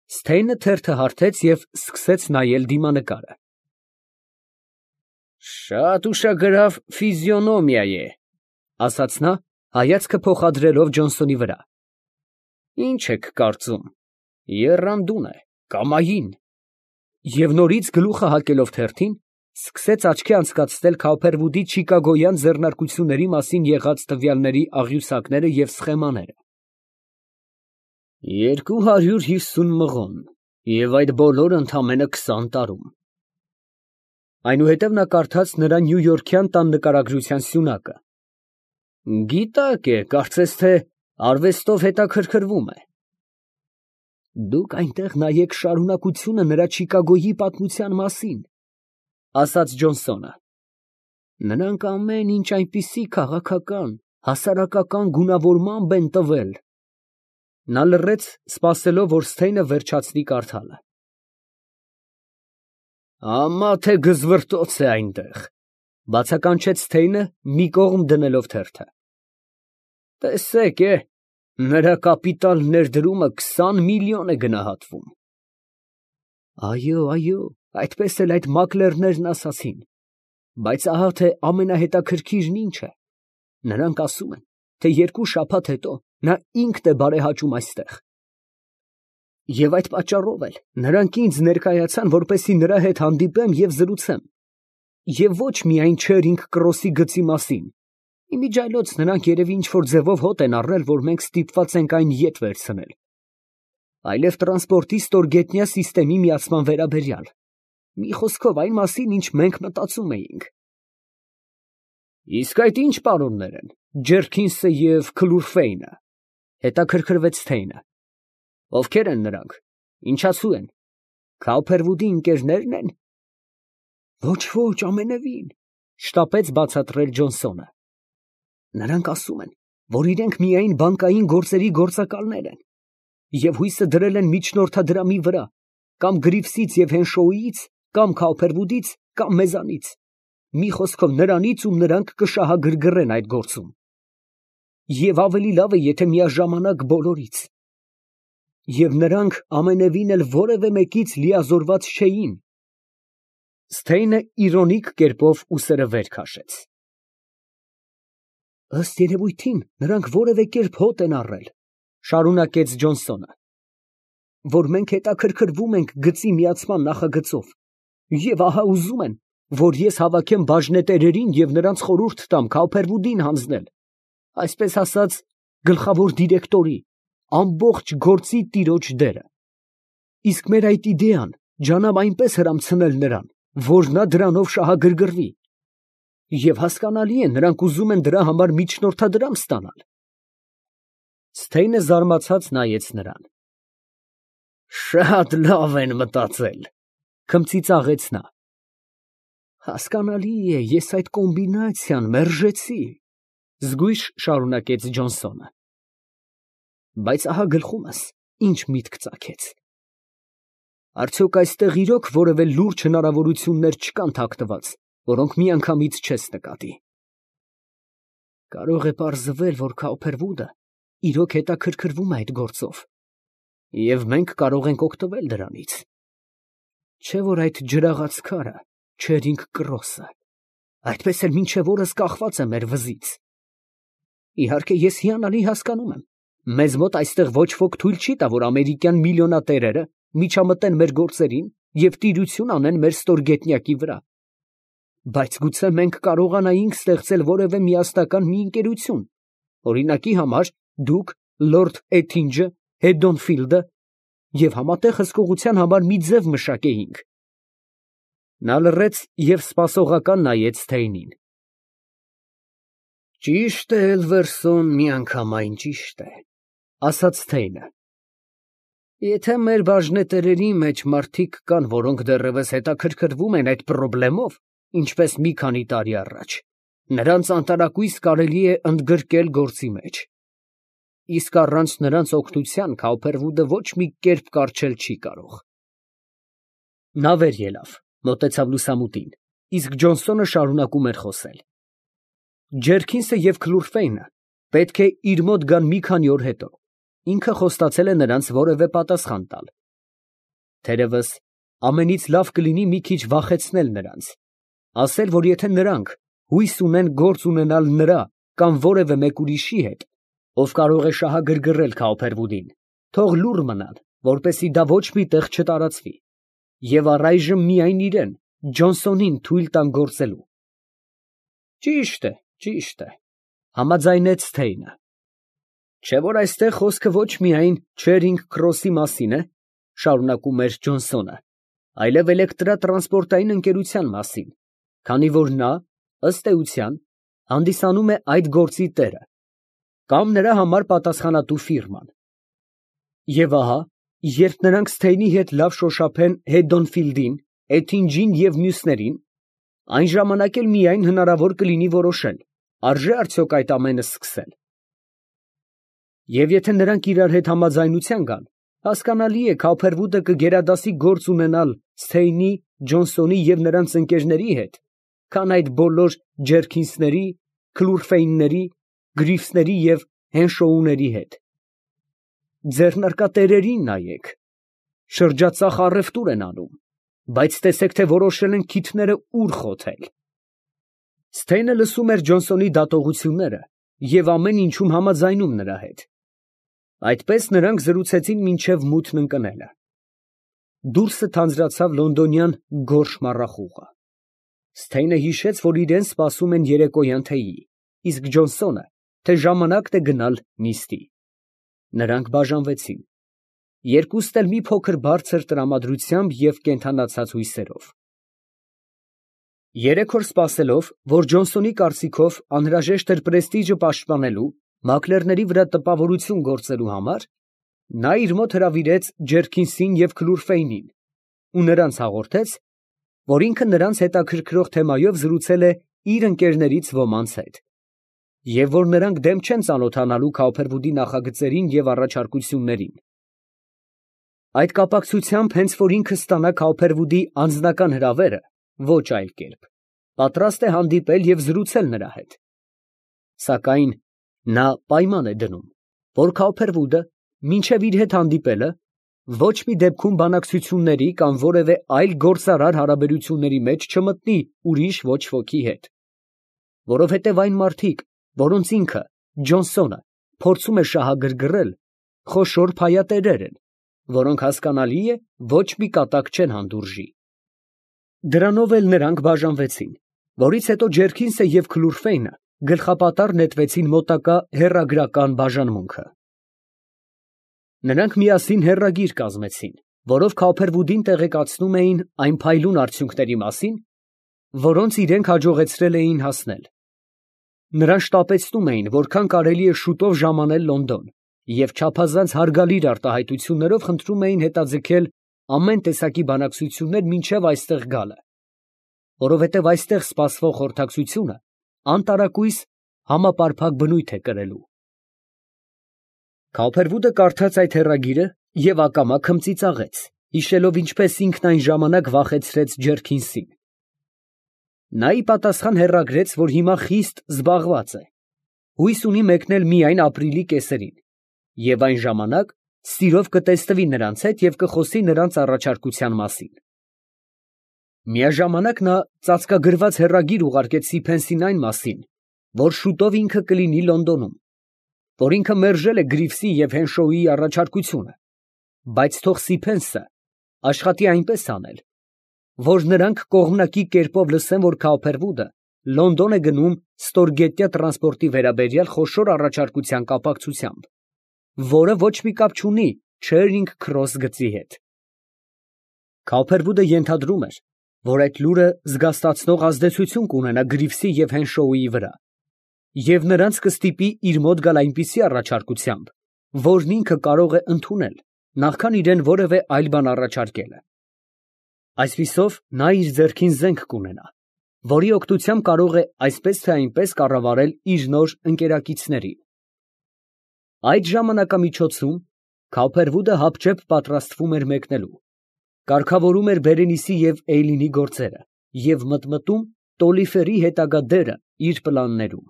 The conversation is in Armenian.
Սթեյնը թերթը հարթեց և սկսեց նայել դիմանկարը։ Շատ ուշագրավ ֆիզիոնոմիա է, ասաց նա, հայացքը փոխադրելով Ջոնսոնի վրա։ Ինչ եք կարծում, եռանդուն է, կամային։ Եվ նորից գլուխը հակելով թերթին, սկսեց աչքի անցկացնել Քոուփերվուդի չիկագոյան ձեռնարկությունների մասին եղած տվյալների աղյուսակները և սխեմաները։ 250 մղոն, և այդ բոլորը ընդամենը 20 տարում։ Այնուհետև նա կարդաց նրա նյույորքյան տան նկարագրության սյունակը։ Գիտակ է, կարծես թե արվեստով հետաքրքրվում է։ Դուք այնտեղ նայեք շարունակությունը նրա Չիկագոյի պատմության մասին, ասաց Ջոնսոնը։ Նրանք ամեն ինչ այնպիսի քաղաքական, հասարակական գունավորմամբ են տվել։ Նա լռեց, սպասելով, որ Սթեյնը վերջացնի կարդալը։ Ամա թե գզվռտոց է այնտեղ, բացականչեց Սթեյնը, մի կողմ դնելով թերթը։ Տեսեք, նրա կապիտալ ներդրումը 20 միլիոն է գնահատվում։ Այո, այդպես էլ այդ մակլերներն ասացին։ Բայց ահա թե ամենահետաքրքիրն ինչ է. նրանք ասում են, թե 2 շաբաթ հետո նա ինքն է բարեհաճում այստեղ։ Եվ այդ պատճառով էլ նրանք ինձ ներկայացան, որպեսզի նրա հետ հանդիպեմ և զրուցեմ։ Եվ ոչ միայն Չերինգ Կրոսի գծի մասին։ Իմիջիայլոց նրանք երևի ինչ-որ ձևով հոտ են առել, որ մենք ստիպված ենք այն ետ վերցնել, այլև տրանսպորտի ստորգետնյա սիստեմի միացման վերաբերյալ։ Մի խոսքով այն մասին, ինչ մենք մտածում էինք։ Իսկ այդ ի՞նչ պարոններ են, Ջերքինսը և Քլուրֆեյնը, հետաքրքրվեց Սթեյնը։ Ովքեր են նրանք, ինչացու են, Քոուփերվուդի ընկերնե՞րն են։ Ոչ, ամենևին, շտապեց բացատրել Ջոնսոնը։ Նրանք ասում են, որ իրենք միայն բանկային գործերի գործակալներ են, և հույսը դրել են միջնորդադրամի վրա, կամ Գրիվսից և Հենշոուից, կամ Քոուփերվուդից, կամ մեզանից, մի խոսքով նրանից, ում նրանք կշահագրգռեն այդ գործում։ Եվ ավելի լավ է, եթե միաժամանակ բոլորից։ Եվ նրանք ամենևին էլ որևէ մեկից լիազորված չէին։ Սթեյնը իրոնիկ կերպով ուսերը վեր քաշեց։ Ըստ երևույթին, նրանք որևէ կերպ հոտ են առել, շարունակեց Ջոնսոնը, որ մենք հետաքրքրվում ենք գծի միացման նախագծով, և ահա ուզում են, որ ես հավաքեմ բաժնետերերին և նրանց խորհուրդ տամ Քոուփերվուդին հանձնել, այսպես ասած, գլխավոր դիրեկտորի, ամբողջ գործի տիրոջ դերը։ Իսկ մեր այդ իդեան ջանամ այնպես հրամցնել նրան, որ նա դրանով շահագրգռվի։ Եվ հասկանալի է, նրանք ուզում են դրա համար միջնորդադրամ ստանալ։ Սթեյնը զարմացած նայեց նրան։ Շատ լավ են մտածել, քմծիծաղեց նա։ Հասկանալի է, ես այդ կոմբինացիան մերժեցի, զգույշ շարունակեց Ջոնսոնը։ Բայց ահա գլխումս ինչ միտք ծագեց։ Արդյոք այստեղ իրոք որևէ լուրջ հնարավորություններ չկան թաքնված, որոնք միանգամից չես նկատի։ Կարող է պարզվել, որ Քոուփերվուդը իրոք հետաքրքրվում է այդ գործով, և մենք կարող ենք օգտվել դրանից։ Չէ՞ որ այդ ջրաղաց քարը, Չերինգ Կրոսը, այդպես էլ մինչև օրս կախված է մեր վզից։ Իհարկե, ես հիանալի հասկանում եմ, մեզ մոտ այստեղ ոչ ոք թույլ չի տա, որ ամերիկյան միլիոնատերերը միջամտեն մեր գործերին և տիրություն անեն մեր ստորգետնյակի վրա։ Բայց գուցե մենք կարողանայինք ստեղծել որևէ միասնական մի ընկերություն, օրինակի համար դուք, լորդ Էթինջը, Հեդոնֆիլդը, և համատեղ հսկողության համար մի ձև մշակեինք։ Նա լռեց և սպասողական նայեց Սթեյնին։ Ճիշտ է, Էլվերսոն, միանգամայն ճիշտ է, ասաց Սթեյնը։ Եթե մեր բաժնետերերի մեջ մարդիկ կան, որոնք դեռևս հետաքրքրվում են այդ պրոբլեմով, ինչպես մի քանի տարի առաջ, նրանց անտարակույս կարելի է ընդգրկել գործի մեջ։ Իսկ առանց նրանց օգնության Քոուփերվուդը ոչ մի կերպ կառչել չի կարող։ Նա վեր ելավ, մոտեցավ լուսամուտին, իսկ Ջոնսոնը շարունակում էր խոսել։ Ջերքինսը և Քլուրֆեյնը պետք է իր մոտ գան մի քանի օր հետո, ինքը խոստացել է նրանց որևէ պատասխան տալ։ Թերևս ամենից լավ կլինի մի քիչ վախեցնել նրանց, ասել, որ եթե նրանք հույս ունեն գործ ունենալ նրա կամ որևէ մեկ ուրիշի հետ, ով կարող է շահագրգռել Քաուփերվուդին, թող լուռ մնան, որպեսզի դա ոչ մի տեղ չտարածվի, և առայժմ միայն իրան, Ջոնսոնին թույլ տան գործելու։ Ճիշտ է, համաձայնեց Սթեյնը։ Չէ՞ որ այստեղ խոսքը ոչ միայն Չերինգ Քրոսի մասին է, շարունակում էր Ջոնսոնը, այլև էլեկտրատրանսպորտային ընկերության մասին, քանի որ նա, ըստ էության, հանդիսանում է այդ գործի տերը, կամ նրա համար պատասխանատու ֆիրման։ Եվ ահա, երբ նրանք Սթեյնի հետ լավ շոշափեն Հեդոնֆիլդին, Էթինջին և մյուսներին, այն ժամանակ էլ միայն հնարավոր կլինի որոշել, արժե՞ արդյոք այդ ամենը սկսել։ Եվ եթե նրանք իրար հետ համաձայնության գան, հասկանալի է, Քաուփերվուդը կգերադասի գործ ունենալ Սթեյնի, Ջոնսոնի և նրանց ընկերների հետ, քան այդ բոլոր Ջերքինսների, Քլուրֆեյնների, Գրիվսների և Հենշոուների հետ։ Ձեռնարկատերերին նայեք, շրջածախ առևտուր են անում, բայց տեսեք, թե որոշել են քիթները ուր խոթել։ Սթեյնը լսում էր Ջոնսոնի դատողությունները և ամեն ինչում համաձայնում նրա հետ։ Այդպես նրանք զրուցեցին մինչև մութն ընկնելը։ Դուրսը թանձրացավ լոնդոնյան գորշ մառախուղը։ Սթեյնը հիշեց, որ իրան սպասում են երեկոյան թեյի, իսկ Ջոնսոնը, թե ժամանակն է գնալ նիստի։ Նրանք բաժանվեցին։ Երկուստ էլ մի փոքր բարձր տրամադրությամբ և կենդանացած հույսերով։ 3 օր սպասելով, որ Ջոնսոնի կարծիքով անհրաժեշտ էր պրեստիժը պաշտպանելու, մակլերների վրա տպավորություն գործելու համար, նա իր մոտ հրավիրեց Ջերքինսին և Քլուրֆեյնին ու նրանց հաղորդեց, որ ինքը նրանց հետաքրքրող թեմայով զրուցել է իր ընկերներից ոմանց հետ, և որ նրանք դեմ չեն ծանոթանալու Քաուփերվուդի նախագծերին և առաջարկություններին։ Այդ կապակցությամբ, հենց որ ինքը ստանա Քաուփերվուդի անձնական հրավերը, ոչ այլ կերպ, պատրաստ է հանդիպել և զրուցել նրա հետ։ Սակայն նա պայման է դնում, որ Քաուփերվուդը, մինչև իր հետ հանդիպելը, ոչ մի դեպքում բանակցությունների կամ որևէ այլ գործարար հարաբերությունների մեջ չմտնի ուրիշ ոչ ոքի հետ, որովհետև այն մարդիկ, որոնց ինքը, Ջոնսոնը, փորձում է շահագրգռել, խոշոր փայատերեր են, որոնք, հասկանալի է, ոչ մի կատակ չեն հանդուրժի։ Դրանով էլ նրանք բաժանվեցին, որից հետո Ջերքինսը և Քլուրֆեյնը գլխապատառ նետվեցին մոտակա հեռագրական բաժանմունքը։ Նրանք միասին հեռագիր կազմեցին, որով Քաուփերվուդին տեղեկացնում էին այն փայլուն արդյունքների մասին, որոնց իրենք հաջողեցրել էին հասնել։ Նրան շտապեցնում էին, որքան կարելի է շուտով ժամանել Լոնդոն, և չափազանց հարգալիր արտահայտություններով խնդրում էին հետաձգել ամեն տեսակի բանակցություններ մինչև այստեղ գալը, որովհետև այստեղ սպասվող խորհրդակցությունը անտարակույս համապարփակ բնույթ է կրելու։ Քաուփերվուդը կարդաց այդ հեռագիրը և ակամա քմծիծաղեց, հիշելով ինչպես ինքն այն ժամանակ վախեցրեց Ջերքինսին։ Նա ի պատասխան հեռագրեց, որ հիմա խիստ զբաղված է, հույս ունի մեկնել միայն ապրիլի կեսերին, և այն ժամանակ սիրով կտեսնվի նրանց հետ և կխոսի նրանց առաջարկության մասին։ Միաժամանակ նա ծածկագրված հեռագիր ուղարկեց Սիփենսին այն մասին, որ շուտով ինքը կլինի Լոնդոնում, որ ինքը մերժել է Գրիվսի և Հենշոուի առաջարկությունը, բայց թող Սիփենսը աշխատի այնպես անել, որ նրանք կողմնակի կերպով լսեն, որ Քաուփերվուդը Լոնդոն է գնում ստորգետնյա տրանսպորտի վերաբերյալ խոշոր առաջարկության կապակցությամբ, որը ոչ մի կապ չունի Չերինգ Քրոս գծի հետ։ Քաուփերվուդը ենթադրում էր, որ այդ լուրը զգաստացնող ազդեցություն կունենա Գրիվսի և Հենշոուի վրա, և նրանց կստիպի իր մոտ գալ այնպիսի առաջարկությամբ, որն ինքը կարող է ընդունել, նախքան իրան որևէ այլ բան առաջարկելը։ Այսպիսով նա իր ձեռքին զենք կունենա, որի օգնությամբ կարող է այսպես թե այնպես կառավարել իր նոր ընկերակիցներին։ Այդ ժամանակամիջոցում Քաուփերվուդը հապճեպ պատրաստվում էր մեկնելու, կարգավորում էր Բերենիսի և Էյլինի գործերը և մտմտում Տոլիֆերի հետագա դերը իր պլաններում։